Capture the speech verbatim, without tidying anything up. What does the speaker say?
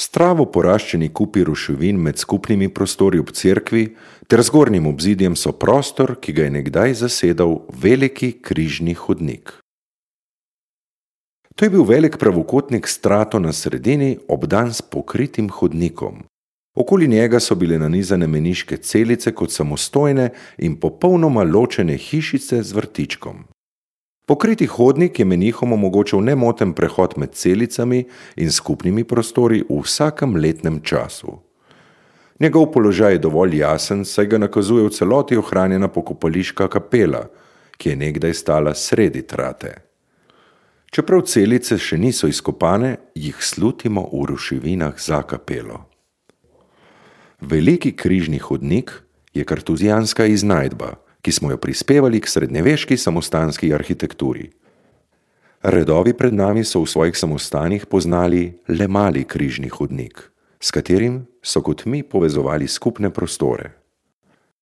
Stravo poraščeni kupi ruševin med skupnimi prostori ob cerkvi ter zgornjim obzidjem so prostor, ki ga je nekdaj zasedal veliki križni hodnik. To je bil velik pravokotnik s strato na sredini, obdan s pokritim hodnikom. Okoli njega so bile nanizane meniške celice kot samostojne in popolnoma ločene hišice z vrtičkom. Pokriti hodnik je menihom omogočal nemoten prehod med celicami in skupnimi prostori v vsakem letnem času. Njegov položaj je dovolj jasen, saj ga nakazuje v celoti ohranjena pokopališka kapela, ki je nekdaj stala sredi trate. Čeprav celice še niso izkopane, jih slutimo v ruševinah za kapelo. Veliki križni hodnik je kartuzijanska iznajdba, ki smo jo prispevali k srednjeveški samostanski arhitekturi. Redovi pred nami so v svojih samostanih poznali le mali križni hodnik, s katerim so kot mi povezovali skupne prostore.